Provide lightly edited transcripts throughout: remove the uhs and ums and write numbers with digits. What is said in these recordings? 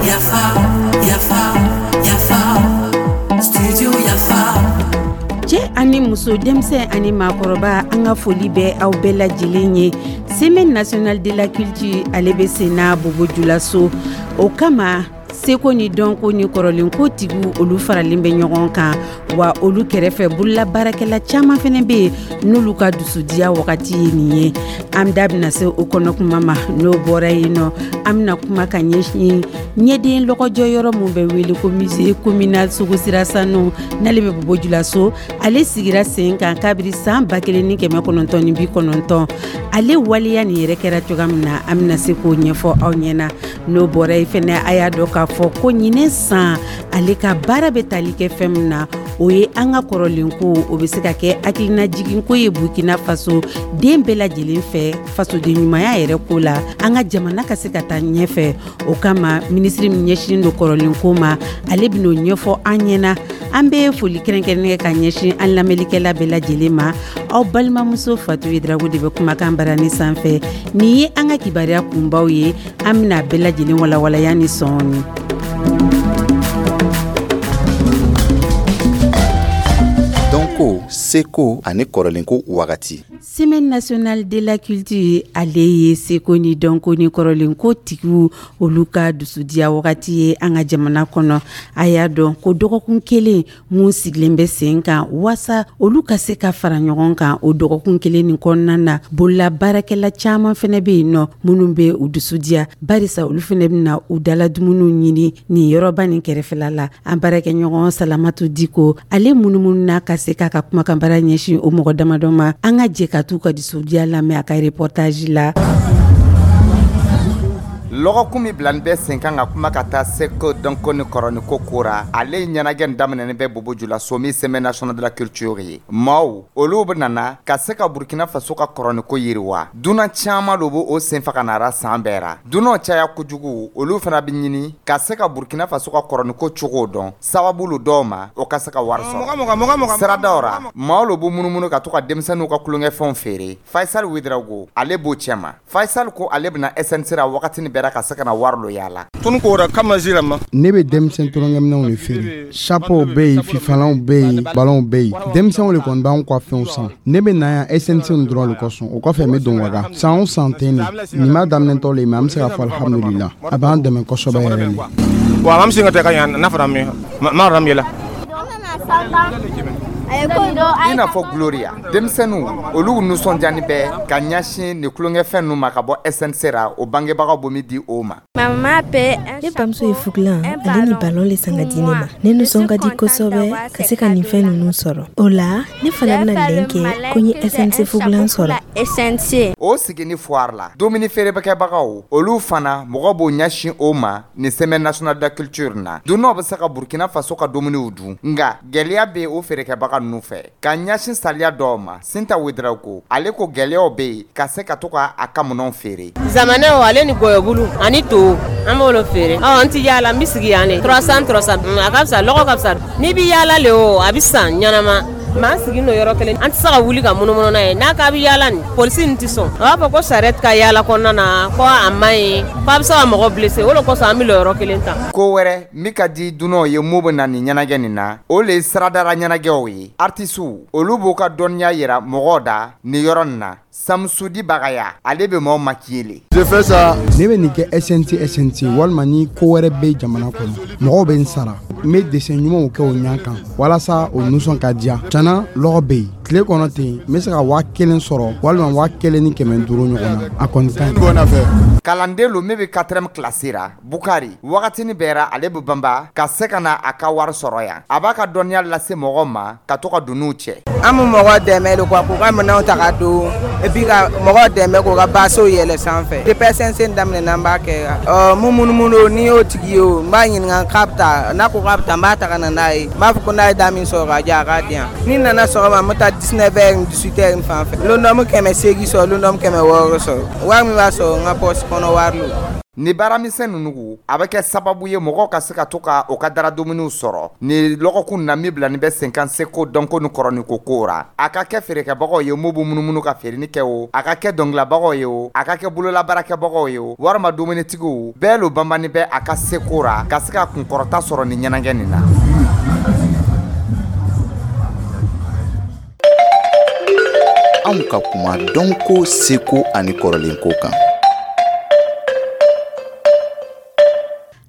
Yafa, yafa, yafa, studio Yafa. Cɛ ani muso, denmisɛn ani maakɔrɔba, an ka foli bɛ aw bɛɛ lajɛlen ye. Semaine nationale de la culture, ale bɛ sen na Bobo Julaso. O kama, seko ni dɔnko ni kɔrɔlenko tigiw, olu faralen bɛ ɲɔgɔn kan. Wa olu kɛrɛfɛ, bolola baarakɛla caman fana bɛ yen, n'olu ka dusudiya wagati ye nin ye. An da bɛna se o kɔnɔ kuma ma. N'o bɔra yen nɔ, an bɛna kuma ka ɲɛsin ɲɛden lɔgɔjɔ yɔrɔ min bɛ wele ko musée communal Sogosira Sanu, n'ale bɛ Bobo Julaso. Ale sigira sen kan kabiri san 1990. Ale waleya nin yɛrɛ kɛra cogoya min na, an bɛna se k'o ɲɛfɔ aw ɲɛna. N'o bɔra yen fɛnɛ, a y'a dɔn k'a fɔ ko ɲinɛ san, ale ka baara bɛ tali kɛ fɛn min na, o ye an ka kɔrɔlenko. O bɛ se ka kɛ hakilinajiginko ye Burkina Faso den bɛɛ lajɛlen fɛ, fasoden ɲumanya yɛrɛ ko la, an ka jamana ka se ka taa ɲɛfɛ. O kama, minisiri min ɲɛsinnen don kɔrɔlenko ma, ale bɛn'o ɲɛfɔ an ɲɛna. An bɛ foli kɛrɛnkɛrɛnnen kɛ ka ɲɛsin an lamɛnlikɛla bɛɛ lajɛlen ma. Aw balimamuso Fatu Drago de bɛ kumakan barani sanfɛ. Nin ye an ka kibaruya kunbaw ye. An bɛna bɛɛ lajɛlen walawalaya ni sɔɔni. Dɔnko, seko ani kɔrɔlenko wagati. Semaine nationale de la culture, ale ye seko ni dɔnko ni kɔrɔlenko tigiw, olu ka dusudiya wagati ye an ka jamana kɔnɔ. A y'a dɔn ko dɔgɔkun kelen mun sigilen bɛ sen kan waasa olu ka se ka fara ɲɔgɔn kan, o dɔgɔkun kelen nin kɔnɔna na, bolola baarakɛla caman fɛnɛ bɛ yen nɔ minnu bɛ u dusudiya, barisa olu fɛnɛ bɛna u dala dumuniw ɲini nin yɔrɔba nin kɛrɛfɛla la. An baarakɛɲɔgɔn Salamatu Diko, ale munumununa ka se k'a ka kumakanbara ɲɛsin o mɔgɔ damadɔ ma. An ka jɛ ka t'u ka dusudiya lamɛn a ka reportage la. Lɔgɔkun min bilani bɛ sen kan ka kuma ka taa seko, dɔnko ni kɔrɔniko ko ra, ale ɲɛnajɛ nin daminɛni bɛ Bobo Julaso, min Semaine nationale de la culture ye. Maaw olu bɛ nana ka se ka Burkina Faso ka kɔrɔniko yiriwa. Dunan caman lo b'o sen fa ka nara san bɛɛ ra. Dunanw caya kojugu, olu fana bɛ ɲini ka se ka Burkina Faso ka kɔrɔniko cogo dɔn, sababu lo dɔw ma o ka se ka wari sɔrɔ. Siradaw ra, maaw lo b'u munumunu ka to ka denmisɛnninw ka tulonkɛfɛnw feere. Faisal Ouedraogo, ale b'o cɛma. Faisal ko ale bɛna SNC ra wagatini bɛɛ ra ka se ka na wari lo yaala. Ne bɛ denmisɛn tulonkɛminɛnw de feere. Chapeau bɛ yen, fifalanw bɛ yen, balonw bɛ yen. Denmisɛnw de kɔni b'anw ka fɛnw san. Ne bɛ na yan SNC dɔrɔn de kosɔn. O kɔfɛ, n bɛ don ka san o san ten de. Nin b'a daminɛtɔ le mais an bɛ se k'a fɔ alhamdulila, a b'an dɛmɛ kosɛbɛ yɛrɛ de. Bon, an bɛ se ka taa ka n'a fara min ma. I n'a fɔ Gloria, denmisɛnninw olu nisɔndiyani bɛ ka ɲɛsin nin tulonkɛfɛn ninnu ma ka bɔ SNC ra, o bangebagaw bɛ min di o ma. Ne bamuso ye fugulan ale ni balon le san ka di ne ma. Ne nisɔn ka di kosɛbɛ ka se ka nin fɛn ninnu sɔrɔ. O la, ne fana bɛna lɛn kɛ ko n ye SNC fugulan sɔrɔ. O sigini foire la, dumuni feerebɛkɛbagaw olu fana, mɔgɔ b'o ɲɛsin o ma nin Semaine nationale de la culture na. Dunanw bɛ se ka Burkina Faso ka dumuniw dun, nka gɛlɛya bɛ o feerekɛbaga ninnu fɛ ka ɲɛsin saliya dɔw ma. Sinta Ouedraogo, ale ko gɛlɛyaw bɛ yen ka se ka to ka a ka minɛnw feere. Zamanɛw ale ni gɔyɔbulu ani to, an b'olu feere. Ɔ, n ti yaala, n bɛ sigi yan de. 300 300, a ka fisa, lɔgɔ ka fisa. N'i bɛ yaala le, o a bɛ san ɲɛnama. Maa sigi n'o yɔrɔ kelen, an tɛ se ka wuli ka munumunu n'a ye. N'a k'a bɛ yaala nin, polisi nin tɛ sɔn. A b'a fɔ ko charrette ka yaala kɔnɔna na, ko a man ɲi, ko a bɛ se ka mɔgɔ blessé. O de kosɔn an bɛ lɔ yɔrɔ kelen ta. Ko wɛrɛ min ka di dunanw ye mun bɛ na nin ɲɛnajɛ nin na, o le ye siradara ɲɛnajɛw ye. Artisiw olu b'u ka dɔnniya yira mɔgɔw da nin yɔrɔ nin na. Samusudi Bagaya, ale bɛ maaw maquiller le. Je fais ça. Ne bɛ nin kɛ SNC SNC walima ni ko wɛrɛ bɛ jamana kɔnɔ, mɔgɔw bɛ n sara, n bɛ dessin ɲumanw kɛ o ɲɛ kan walasa o nisɔn ka diya. Tiɲɛna, lɔgɔ bɛ yen. Tile kɔnɔ ten, n bɛ se ka 1000 sɔrɔ walima 1500 ɲɔgɔn na. A kɔni ka ɲi. Kalanden lo min bɛ quatrième classe ra, Bukari, wagatini bɛɛ ra ale bɛ banba ka se ka na a ka wari sɔrɔ yan. A b'a ka dɔnniya lase mɔgɔw ma ka to ka dunniw cɛ. An bɛ mɔgɔw dɛmɛ de quoi, k'u ka minɛnw ta ka don et puis ka mɔgɔw dɛmɛ k'u ka basew yɛlɛ sanfɛ. Depuis SNC daminɛ, an b'a kɛ. Ɔ, mun munumunu n'i y'o tigi ye, o n b'a ɲininka k'a bɛ taa. N'a ko k'a bɛ taa, n b'a ta ka na n'a ye. N b'a fɔ ko n'a ye da min sɔrɔ ka diyan, a k'a di yan. Ni nana sɔgɔma, n bɛ taa 19 heures, 18 heures fan fɛ. Lon dɔ, n bɛ 800 sɔrɔ, lon dɔ, n bɛ 600 sɔrɔ. Wari min b'a sɔrɔ, n ka poche kɔnɔ wari lo. Ni baaramisɛn ninnu, a bɛ kɛ sababu ye mɔgɔw ka se ka to ka o ka dara dumuniw sɔrɔ. Ni lɔgɔkun na min bila nin bɛ sen kan, seko, dɔnko ni kɔrɔnin ko ko ra, a ka kɛ feerekɛbagaw ye, m'u bɛ munumunu ka feereni kɛ o, a ka kɛ dɔnkililabagaw ye o, a ka kɛ bololabaarakɛbagaw ye o, walima dumunitigiw bɛɛ lo banbani bɛ a ka seko ra ka se ka kunkɔrɔta sɔrɔ ni ɲɛnajɛ nin na. Anw ka kuma dɔnko, seko ani kɔrɔlen ko kan.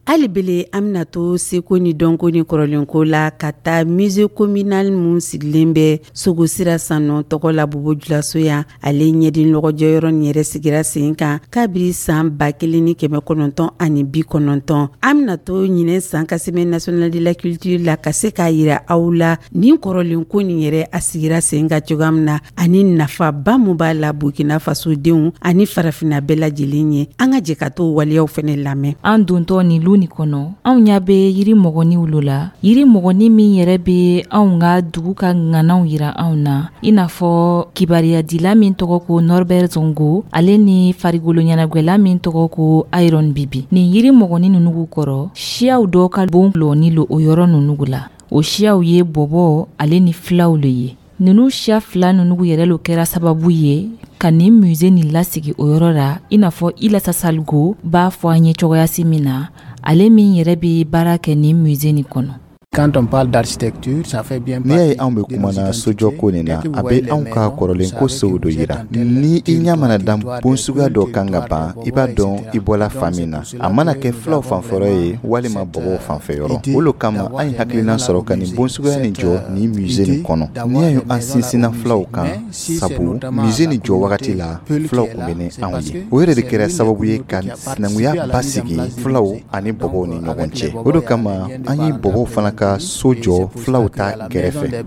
Hali bele, an bɛna to seko ni dɔnko ni kɔrɔlenko la ka taa musée communal mun sigilen bɛ Sogosira Sanɔ tɔgɔ la Bobo Julaso yan. Ale ɲɛdin lɔgɔjɔyɔrɔ nin yɛrɛ sigira sen kan kabiri san 1990. An bɛna to ɲinɛ san ka Semaine nationale de la culture la ka se k'a yira aw la nin kɔrɔlenko nin yɛrɛ a sigira sen kan cogoya min na ani nafaba mun b'a la Burkina fasodenw ani farafinna bɛɛ lajɛlen ye. An ka jɛ ka to waleyaw fɛnɛ lamɛn. An dontɔ nin lu nin kɔnɔ, anw ɲa bɛ yiri mɔgɔniw lo la, yiri mɔgɔni min yɛrɛ bɛ anw ka dugu ka ŋanaw yira anw na, i n'a fɔ kibariyadila min tɔgɔ ko Norbert Zongo, ale ni farikolo ɲɛnagwɛla min tɔgɔ ko Iron Biby. Nin yiri mɔgɔni ninnu kɔrɔ, siyaw dɔ ka bon lɔni lo o yɔrɔ ninnu la. O siyaw ye bɔbɔ ale ni filaw le ye. Ninnu siya fila ninnu yɛrɛ lo kɛra sababu ye ka nin musée nin lasigi o yɔrɔ la, i n'a fɔ Ilasa Saligo b'a fɔ an ye cogoyasi min na, ale min yɛrɛ bɛ baara kɛ nin musée nin kɔnɔ. Quand on parle d'architecture, ça fait bien. N'i y'a ye anw bɛ kumana sojɔ ko nin na, a bɛ anw ka kɔrɔlen ko sow dɔ yira. Ni i ɲɛ mana da bon suguya dɔ kan ka ban, i b'a dɔn i bɔla fan min na, a mana kɛ filaw fanfɛyɔrɔ ye walima bɔbɔw fanfɛyɔrɔ. O lo kama an ye hakilina sɔrɔ ka nin bon suguya nin jɔ nin musée nin kɔnɔ. N'i y'a ye an sinsinna filaw kan, sabu musée nin jɔ wagati la, filaw tun bɛ ni anw ye. O yɛrɛ de kɛra sababu ye ka sinankunya basigi filaw ani bɔbɔw ni ɲɔgɔn cɛ. O de kama an ye bɔbɔw fana ka so jɔ filaw ta kɛrɛfɛ.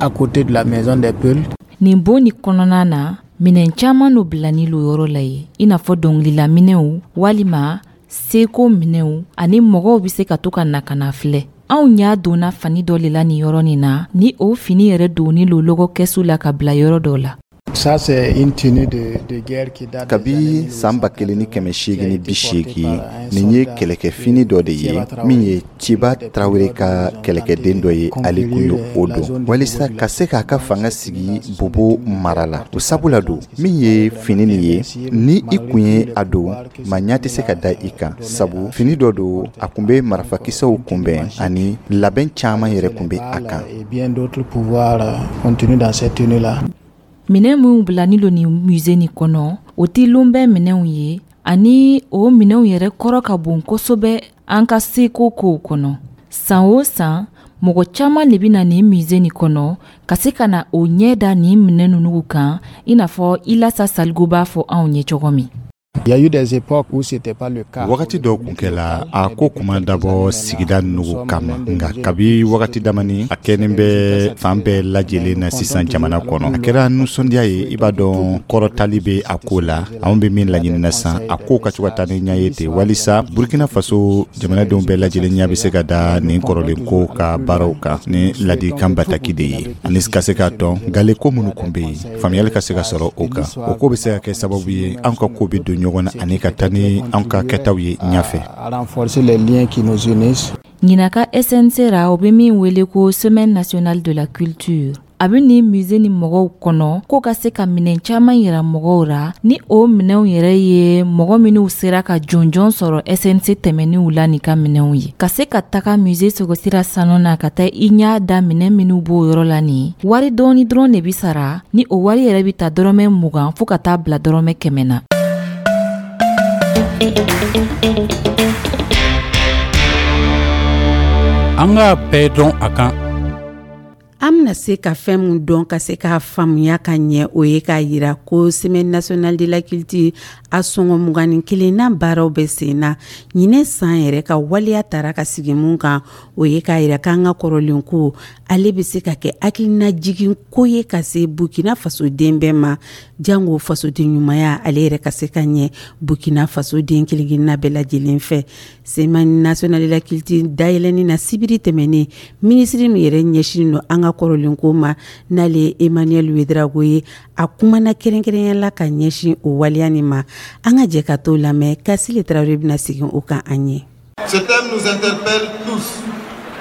À côté de la maison des Peuls. Nin bon nin kɔnɔna na, minɛn caman lo bilani lo yɔrɔ la ye, i n'a fɔ dɔnkilila minɛnw walima seko minɛnw, ani mɔgɔw bɛ se ka to ka na ka na filɛ. Anw y'a donna fani dɔ le la nin yɔrɔ nin na, ni o fini yɛrɛ donni lo lɔgɔ kɛsu la ka bila yɔrɔ dɔ la. Ça, c'est une tenue de guerre qui date. Kabi san 1880, nin ye kɛlɛkɛfini dɔ de ye min ye Tiba Tarawele ka kɛlɛkɛden dɔ ye, ale kun ye o don walisa ka se k'a ka fanga sigi Bobo mara la. O sabula don min ye fini nin ye, ni i kun ye a don, maa ɲɛ tɛ se ka da i kan, sabu fini dɔ don, a kun bɛ marifakisɛw kunbɛn ani labɛn caman yɛrɛ kun bɛ a kan. Et bien d'autres pouvoirs contenus dans cette tenue-là. Minɛn minw bilani lo nin musée nin kɔnɔ, o tɛ lonbɛn minɛnw ye, ani o minɛnw yɛrɛ kɔrɔ ka bon kosɛbɛ an ka seko kow kɔnɔ. San o san, mɔgɔ caman de bɛ na nin musée nin kɔnɔ ka se ka na o ɲɛ da nin minɛn ninnu kan, i n'a fɔ Ilasa Saligo b'a fɔ anw ye cogo min. Il y a eu des époques où c'était pas le cas. Wagati dɔw kun kɛla, a ko kun ma dabɔ sigida nugu kama, nka kabi wagati damani, a kɛlen bɛ fan bɛɛ lajɛlen na sisan jamana kɔnɔ. A kɛra nisɔndiya ye. I b'a dɔn, kɔrɔtali bɛ a ko la. Anw bɛ min laɲinina san, a ko ka to ka taa ni ɲɛ ye ten, walisa Burkina Faso jamanadenw bɛɛ lajɛlen ɲɛ bɛ se ka da nin kɔrɔlen ko ka baaraw kan ni ladikan bataki de ye, ani ka se k'a dɔn gale ko minnu kun bɛ yen, faamuyali ka se ka sɔrɔ o kan. O ko bɛ se ka kɛ sababu ye an ka ko bɛ don ɲɔgɔn na ani ka taa ni an ka kɛtaw ye ɲɛfɛ. À renforcer les liens qui nous unissent. Ɲinan ka SNC ra, o bɛ min wele ko Semaine nationale de la culture, a bɛ nin musée ni mɔgɔw kɔnɔ ko ka se ka minɛn caman yira mɔgɔw ra, ni o minɛnw yɛrɛ ye mɔgɔ minnu sera ka jɔnjɔn sɔrɔ SNC tɛmɛninw la nin ka minɛnw ye. Ka se ka taga musée Sogosira Sanu na ka taa i ɲɛ da minɛn minnu b'o yɔrɔ la, nin wari dɔɔni dɔrɔn de bi sara, ni o wari yɛrɛ bi ta dɔrɔmɛ 20 fɔɔ ka taa bila dɔrɔmɛ 100 na. An k'a bɛɛ dɔn a kan. An bɛna se ka fɛn min dɔn ka se k'a faamuya ka ɲɛ, o ye k'a yira ko Semaine nationale de la culture a sɔngɔ 21nan baaraw bɛ sen na. Ɲinɛ san yɛrɛ ka waleya tara ka sigi mun kan, o ye k'a yira k'an ka kɔrɔlen ko ale bɛ se ka kɛ hakilinajigin ko ye ka se Burkina fasoden bɛɛ ma, jango fasoden ɲumanya ale yɛrɛ ka se ka ɲɛ Burkina fasoden kelen-kelenna bɛɛ lajɛlen fɛ. Semaine nationale de la culture dayɛlɛnni na sibiri tɛmɛnen, minisiri min yɛrɛ ɲɛsinnen don an ka ka kɔrɔlenko ma, n'ale ye Emmanuel Ouedraogo ye, a kumana kɛrɛnkɛrɛnya la ka ɲɛsin o waleya nin ma. An ka jɛ ka t'o lamɛn. Kasile Tarawele bɛna segin o kan an ye. Ce thème nous interpelle tous.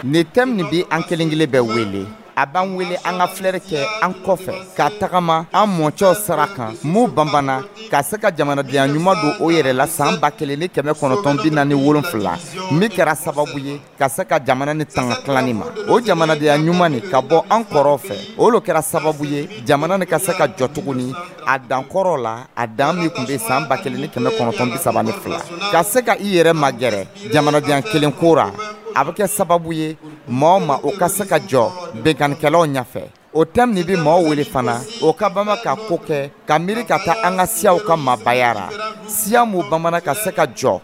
Nin thème nin bi an kelen kelen bɛɛ wele. A b'an wele an ka filɛri kɛ an kɔfɛ, ka tagama an mɔcɛw sira kan m'u banbana ka se ka jamanadenya ɲuman don o yɛrɛ la san 1947, min kɛra sababu ye ka se ka jamana ni tanga tilanni ma. O jamanadenya ɲuman nin ka bɔ an kɔrɔw fɛ, o lo kɛra sababu ye jamana ni ka se ka jɔ tuguni a dan kɔrɔ la, a dan min tun bɛ san 1932. Ka se ka i yɛrɛ magɛrɛ jamanadenya kelen ko ra, a bɛ kɛ sababu ye maa o ma o ka se ka jɔ binkannikɛlaw ɲɛfɛ. O thème nin bɛ maaw wele fana o ka bama ka ko kɛ ka miiri ka taa an ka siyaw ka maabaya ra, siya m'u bamana ka se ka jɔ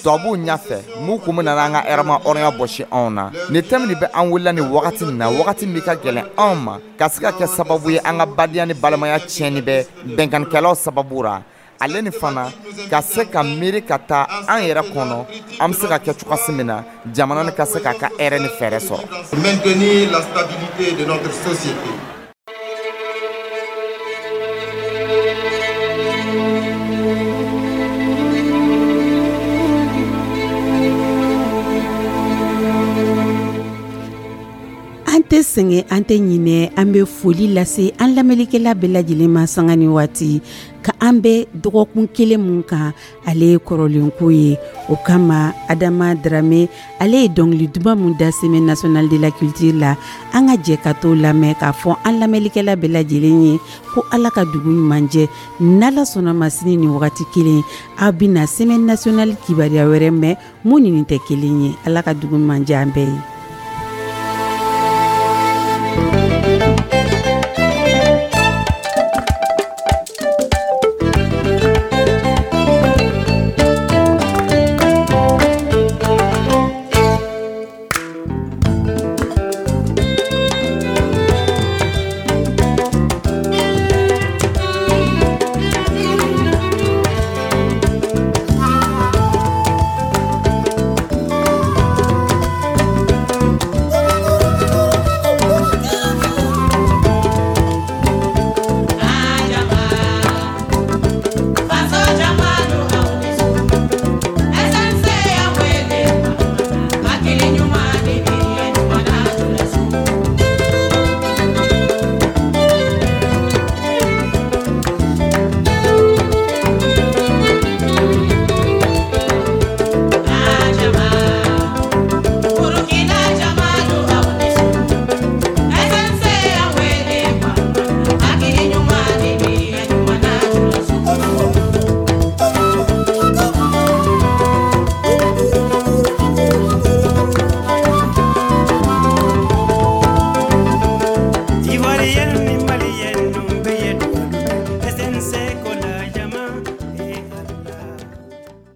tubabuw ɲɛfɛ m'u kun bɛna an ka hɛrɛma hɔrɔnya bɔsi anw na. Nin thème nin bɛ an welela nin wagati nin na, wagati min ka gɛlɛn anw ma, ka se ka kɛ sababu ye an ka badenya ni balimaya tiɲɛni bɛ binkannikɛlaw sababu ra. Ale ni fana ka se ka miiri ka taa an yɛrɛ kɔnɔ, an bɛ se ka kɛ cogoya min na jamana ni ka se k'a ka hɛrɛ ni fɛɛrɛ sɔrɔ. Maintenir la stabilité de notre société. An tɛ sɛgɛn, an tɛ ɲinɛ. An bɛ foli lase an lamɛnlikɛla bɛɛ lajɛlen ma sanga ni waati ka an bɛ dɔgɔkun kelen mun kan, ale ye kɔrɔlenko ye. O kama, Adama Darame, ale ye dɔnkili duman mun da Semaine nationale de la culture la, an ka jɛ ka t'o lamɛn k'a fɔ an lamɛnlikɛla bɛɛ lajɛlen ye ko Ala ka dugu ɲuman jɛ. N'Ala sɔnna ma, sini ni wagati kelen, aw bɛna Semaine nationale kibaruya wɛrɛ mɛn mun ni nin tɛ kelen ye. Ala ka dugu ɲuman jɛ an bɛɛ ye.